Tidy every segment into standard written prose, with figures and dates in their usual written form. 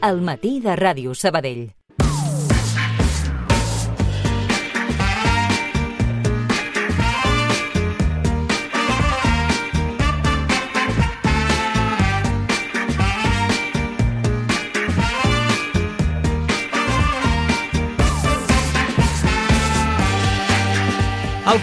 al matí de Ràdio Sabadell. El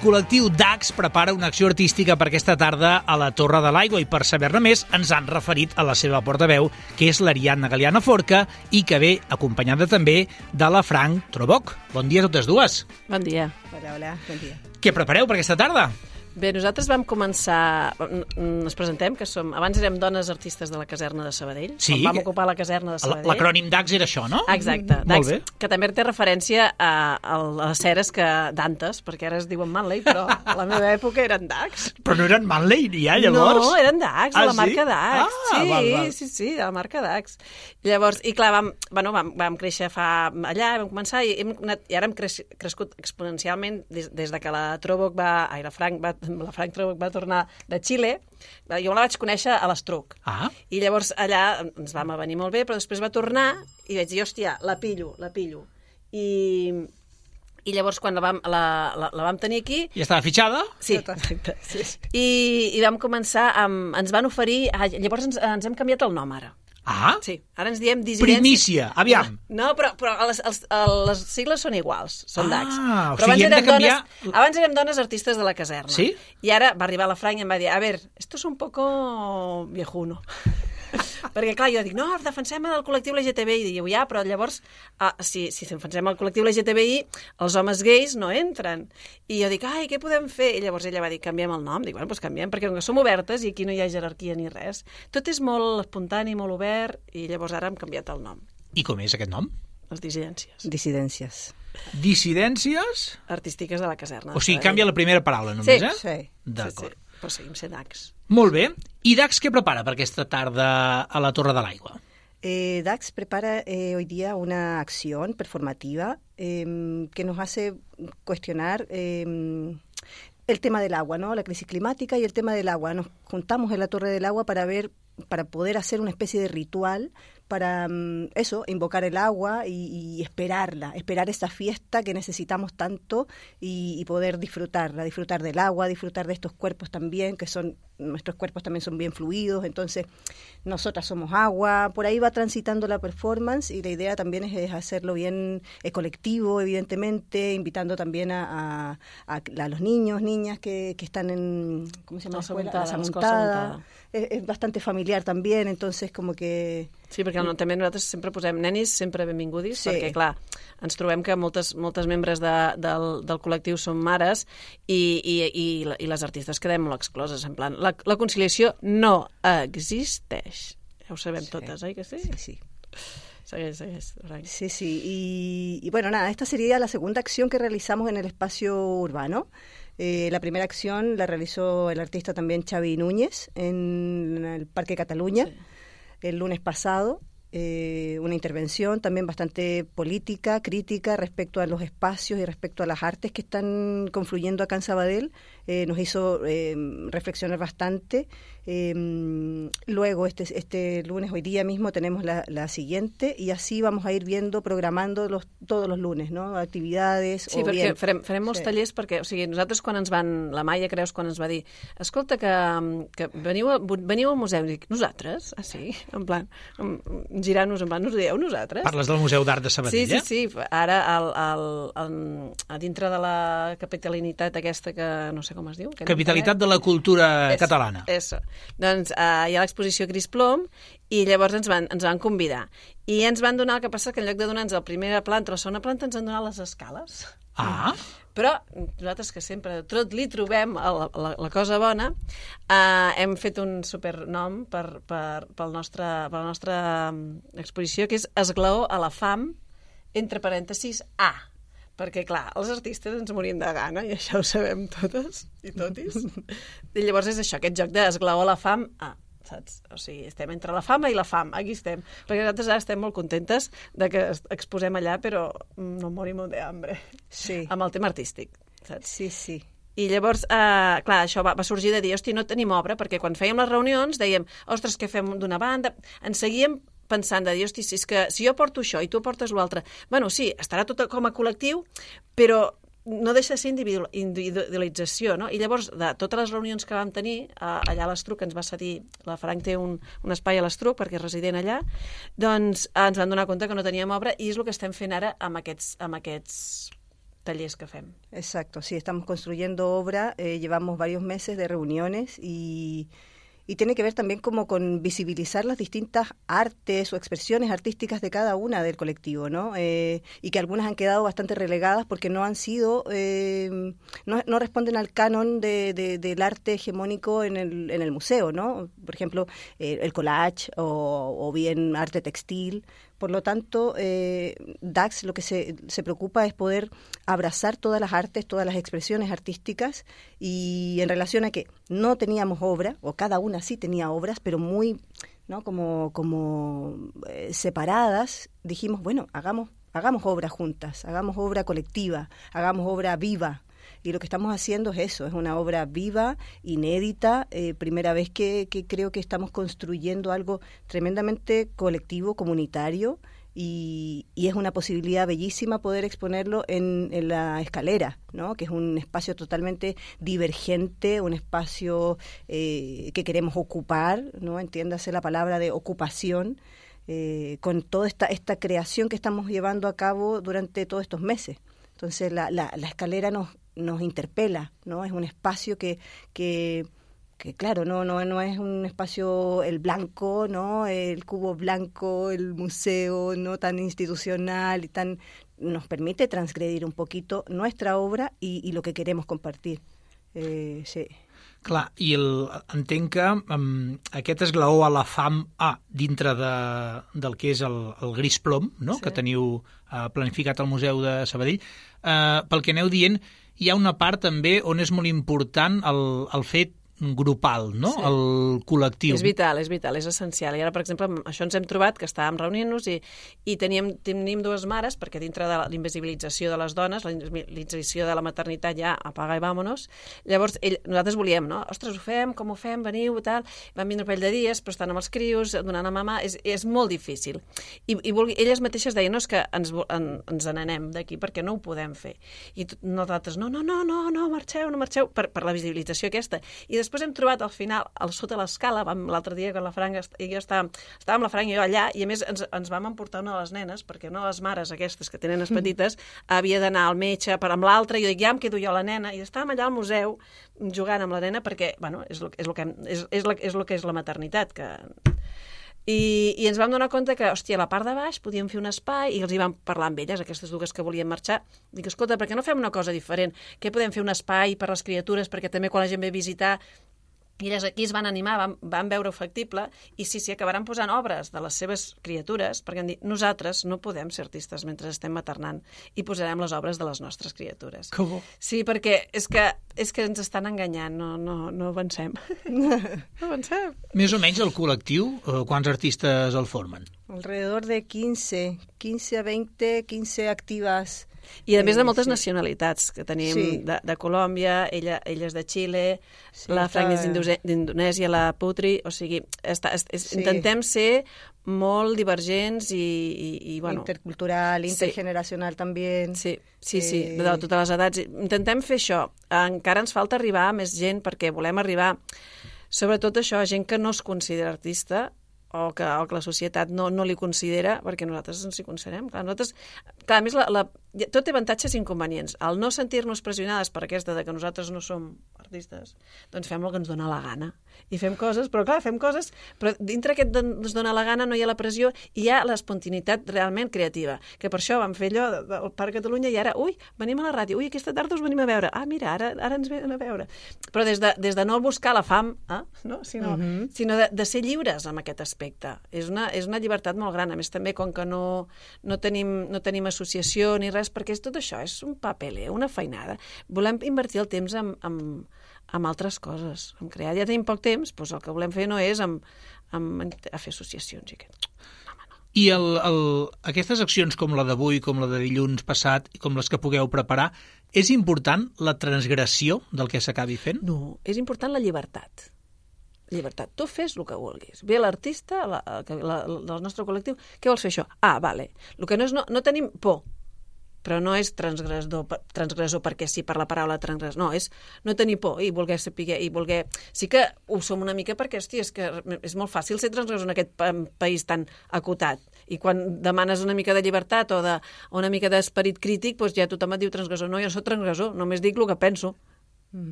col·lectiu DAX prepara una acció artística per aquesta tarda a la Torre de l'Aigua i per saber-ne més ens han referit a la seva portaveu, que és l'Ariadna Galeana Forca i que ve acompanyada també de la Frank Troboc. Bon dia a totes dues. Bon dia. Hola, bon dia. Què prepareu per aquesta tarda? Bé, nosaltres vam començar... Ens presentem, que som... Abans érem dones artistes de la caserna de Sabadell. Sí. Vam ocupar la caserna de Sabadell. L'acrònim DAX era això, no? Exacte. Molt bé. Que també té referència a les ceres d'antes, perquè ara es diuen Manley, però a la meva època eren DAX. Però no eren Manley ja, llavors? No, eren DAX, de la marca DAX. Val. Sí, de la marca DAX. Llavors, i clar, vam créixer allà, vam començar, i ara hem crescut exponencialment des de que la Frank Troboc va tornar de Xile. Jo la vaig conèixer a l'Estruc. I llavors allà ens vam venir molt bé, però després va tornar i vaig dir, hòstia, la pillo. I llavors, quan la vam tenir aquí... Ja estava fitxada? Sí, exacte. Sí. I vam començar ens van oferir... Llavors ens hem canviat el nom, ara. Sí, ara ens diem dissidència. Primícia, aviam. No, però les sigles són iguals, són DAX. O però sigui, hem de canviar... Abans érem dones artistes de la caserna. Sí? I ara va arribar la Frank i em va dir, a ver, esto es un poco viejuno. Perquè, clar, jo dic, no, defensem el col·lectiu LGTBI. I diu, ja, però llavors, si defensem el col·lectiu LGTBI, els homes gais no entren. I jo dic, ai, què podem fer? I llavors ella va dir, canviem el nom. Dic, bueno, doncs canviem, perquè som obertes i aquí no hi ha jerarquia ni res. Tot és molt espontani, molt obert, i llavors ara hem canviat el nom. I com és aquest nom? Les dissidències. Dissidències? Artístiques de la caserna. O sigui, canvia la primera paraula només, Sí. D'acord. Però seguim sent DAX. Molt bé. I DAX què prepara per aquesta tarda a la Torre de l'Aigua? DAX prepara hoy día una acción performativa que nos hace cuestionar el tema del agua, ¿no? La crisis climática y el tema del agua. Nos juntamos en la Torre del Agua para poder hacer una especie de ritual para invocar el agua y esperar esa fiesta que necesitamos tanto y poder disfrutar del agua, disfrutar de estos cuerpos también, nuestros cuerpos también son bien fluidos, entonces nosotras somos agua, por ahí va transitando la performance y la idea también es hacerlo bien colectivo, evidentemente, invitando también a los niños, niñas que están en, ¿cómo se llama? La Samuntada. Es bastante familiar también, entonces como que... Sí, perquè també nosaltres sempre posem nenis, sempre benvingudis, perquè, clar, ens trobem que moltes membres del col·lectiu són mares i les artistes quedem molt excloses. En plan, la conciliació no existeix. Ja ho sabem totes, oi que sí? Sí. Segueix. Sí. Y bueno, nada, esta sería la segunda acción que realizamos en el espacio urbano. La primera acción la realizó el artista también Xavi Núñez en el Parque Cataluña. Sí. El lunes pasado, una intervención también bastante política, crítica respecto a los espacios y respecto a las artes que están confluyendo acá en Sabadell. Nos hizo reflexionar bastante. Luego, este lunes, hoy día mismo, tenemos la siguiente y así vamos a ir programando todos los lunes, no? Actividades. Sí, perquè farem molts tallers, perquè, o sigui, nosaltres la Maia Creus quan ens va dir, escolta, que veniu al museu, i dic, nosaltres? Ah, sí? En plan, girant-nos, en plan, us dieu nosaltres? Parles del Museu d'Art de Sabadell, Sí. Ara, a dintre de la capitalitat aquesta que no sé com es diu. Capitalitat de la cultura catalana. Eso. Doncs hi ha l'exposició Cris Plom i llavors ens van convidar. I ens van donar, el que passa que en lloc de donar-nos la primera planta o la segona planta ens han donat les escales. Però nosaltres, que sempre tot li trobem la cosa bona, hem fet un supernom per la nostra exposició, que és Esglaó a la fam, entre parèntesis, A. Perquè, clar, els artistes ens morim de gana, i això ho sabem totes i totis. I llavors és això, aquest joc d'esglaó a la fam, saps? O sigui, estem entre la fama i la fam, aquí estem. Perquè nosaltres ara estem molt contentes de que exposem allà, però no morim de hambre. Sí. Amb el tema artístic, saps? Sí. I llavors, clar, això va sorgir de dir, hosti, no tenim obra, perquè quan fèiem les reunions dèiem, ostres, què fem d'una banda? Ens seguíem pensant de dir, hosti, si jo porto això i tu portes l'altre, bueno, sí, estarà tot com a col·lectiu, però no deixa de ser individualització, no? I llavors, de totes les reunions que vam tenir, allà a l'Estruc, que ens va cedir, la Frank té un espai a l'Estruc, perquè és resident allà, doncs ens vam donar compte que no teníem obra, i és el que estem fent ara amb aquests talleres que fem. Exacto, sí, estamos construyendo obra, llevamos varios meses de reuniones y tiene que ver también como con visibilizar las distintas artes o expresiones artísticas de cada una del colectivo, ¿no? Y que algunas han quedado bastante relegadas porque no han sido, no responden al canon del arte hegemónico en el museo, ¿no? Por ejemplo, el collage o bien arte textil. Por lo tanto, DAX lo que se preocupa es poder abrazar todas las artes, todas las expresiones artísticas, y en relación a que no teníamos obra, o cada una sí tenía obras, pero muy, ¿no? como separadas, dijimos, bueno, hagamos obra juntas, hagamos obra colectiva, hagamos obra viva. Y lo que estamos haciendo es eso, es una obra viva, inédita, primera vez que creo que estamos construyendo algo tremendamente colectivo, comunitario, y es una posibilidad bellísima poder exponerlo en la escalera, ¿no? Que es un espacio totalmente divergente, un espacio que queremos ocupar, ¿no? Entiéndase la palabra de ocupación, con toda esta creación que estamos llevando a cabo durante todos estos meses. Entonces la escalera nos interpela, ¿no? Es un espacio que claro, no es un espacio el blanco, ¿no? El cubo blanco, el museo, no tan institucional y tan nos permite transgredir un poquito nuestra obra y lo que queremos compartir. Sí. Clar, i entenc que aquest esglaó a la fam dintre del que és el gris plom, no? Sí. Que teniu planificat al Museu de Sabadell, pel que aneu dient, hi ha una part també on és molt important el fet grupal, no? Sí. El col·lectiu. És vital, és essencial. I ara, per exemple, amb això ens hem trobat que estàvem reunint-nos i tenim dues mares, perquè dintre de l'invisibilització de les dones, la invisibilització de la maternitat ja apaga i vámonos, llavors nosaltres volíem, no? Ostres, ho fem, com ho fem, veniu, tal, van vindre un parell de dies, però estan amb els crios, donant a mamà, és molt difícil. I elles mateixes deien, no, és que ens n'anem d'aquí perquè no ho podem fer. I nosaltres, no, marxeu, per la visibilització aquesta. I després hem trobat al final, sota l'escala, l'altre dia que la Frank i jo estàvem la Frank i jo allà, i a més ens vam emportar una de les nenes, perquè una de les mares aquestes que tenen les petites havia d'anar al metge amb l'altra, i jo dic, ja em quedo jo la nena, i estàvem allà al museu jugant amb la nena perquè, bueno, és el que és la maternitat, que... I ens vam donar compte que, hòstia, a la part de baix podíem fer un espai, i els hi vam parlar amb elles, aquestes dues que volien marxar. Dic, escolta, per què no fem una cosa diferent? Què podem fer un espai per les criatures, perquè també quan la gent ve a visitar... I elles aquí es van animar, van veure factible, i sí, acabaran posant obres de les seves criatures, perquè han dit, nosaltres no podem ser artistes mentre estem maternant, i posarem les obres de les nostres criatures. Que bo. Sí, perquè és que ens estan enganyant, no avancem. No avancem. Més o menys el col·lectiu, quants artistes el formen? Alrededor de 15 a 20, 15 actives. I a més de moltes nacionalitats que tenim, de Colòmbia, elles de Xile, la Frank és d'Indonèsia, la Putri, o sigui, intentem ser molt divergents i bueno... Intercultural, intergeneracional també. Sí, de totes les edats. Intentem fer això. Encara ens falta arribar a més gent perquè volem arribar, sobretot això, a gent que no es considera artista, o que la societat no li considera, perquè nosaltres ens hi considerem. Clar, a més, tot té avantatges i inconvenients. Al no sentir-nos pressionades per aquesta de que nosaltres no som artistes, doncs fem el que ens dona la gana. I fem coses, però dintre aquest ens dona la gana no hi ha la pressió i hi ha l'espontaneïtat realment creativa, que per això vam fer allò del Parc Catalunya i ara, venim a la ràdio, aquesta tarda us venim a veure, mira, ara ens venen a veure. Però des de no buscar la fam, no? sinó de ser lliures amb aquest aspecte. És una llibertat molt gran. A més, també, com que no tenim associació ni res, perquè tot això és un papeler, una feinada. Volem invertir el temps en altres coses, en crear. Ja tenim poc temps, doncs el que volem fer no és a fer associacions i aquest. I aquestes accions com la d'avui, com la de dilluns passat i com les que pugueu preparar, és important la transgressió del que s'acabi fent? No, és important la llibertat. Llibertat. Tu fes el que vulguis. Ve l'artista del nostre col·lectiu, què vols fer això? Ah, vale. El que no és, no tenim por, però no és transgressor perquè sí, per la paraula transgressor. No, és no tenir por i voler saber, i voler... Sí que ho som una mica perquè, hòstia, és que és molt fàcil ser transgressor en aquest país tan acotat. I quan demanes una mica de llibertat o una mica d'esperit crític, doncs ja tothom et diu transgressor. No, jo soc transgressor, només dic el que penso.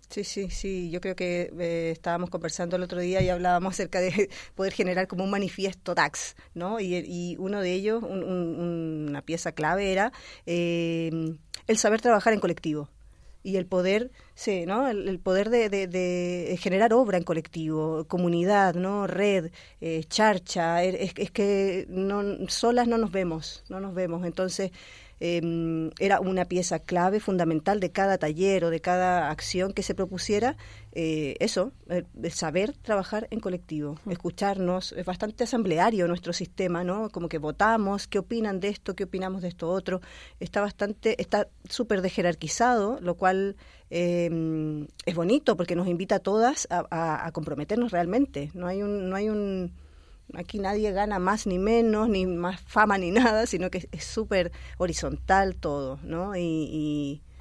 Sí. Yo creo que estábamos conversando el otro día y hablábamos acerca de poder generar como un manifiesto DAX, ¿no? Y uno de ellos, una pieza clave era el saber trabajar en colectivo y el poder, sí, ¿no? El poder de generar obra en colectivo, comunidad, ¿no? Red, charcha. Es que solas no nos vemos. Entonces era una pieza clave, fundamental de cada taller o de cada acción que se propusiera, el saber trabajar en colectivo, escucharnos. Es bastante asambleario nuestro sistema, ¿no? Como que votamos, ¿qué opinan de esto? ¿Qué opinamos de esto otro? Está súper desjerarquizado, lo cual es bonito porque nos invita a todas a comprometernos realmente. No hay un aquí nadie gana más ni menos, ni más fama ni nada, sino que és súper horizontal todo, ¿no?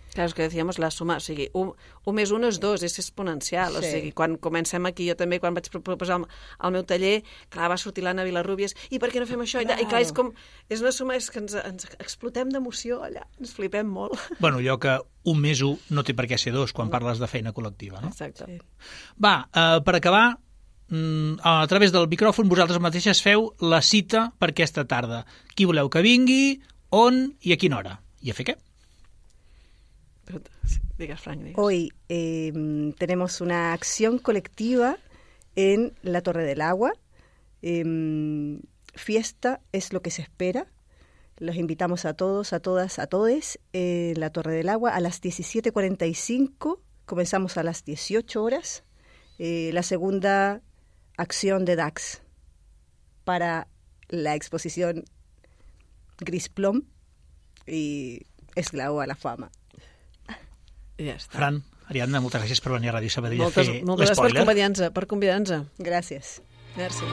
Clar, és que decíamos la suma, o sigui, 1 més 1 és 2, és exponencial, sí. O sigui, quan comencem aquí, jo també, quan vaig proposar el meu taller, clar, va sortir l'Anna Vilarrubias, i per què no fem això? I clar, és una suma, és que ens explotem d'emoció allà, ens flipem molt. Bueno, allò que 1 més 1 no té per què ser 2 quan parles de feina col·lectiva, no? Exacte. Sí. Va, per acabar, a través del micròfon vosaltres mateixes feu la cita per aquesta tarda. Qui voleu que vingui, on i a quina hora? I a fer què? Digas, Frank, digas. Hoy tenemos una acción colectiva en la Torre del Agua. Fiesta es lo que se espera. Los invitamos a todos, a todas, a todes en la Torre del Agua a las 17:45. Comenzamos a las 18 horas. La segunda acción de DAX para la exposición Gris Plom y Esclavo a la fama. I ja està. Fran, Ariadna, moltes gràcies per venir a Ràdio Sabadell a fer l'espoiler. Moltes gràcies per convidar-nos. Gràcies. Merci.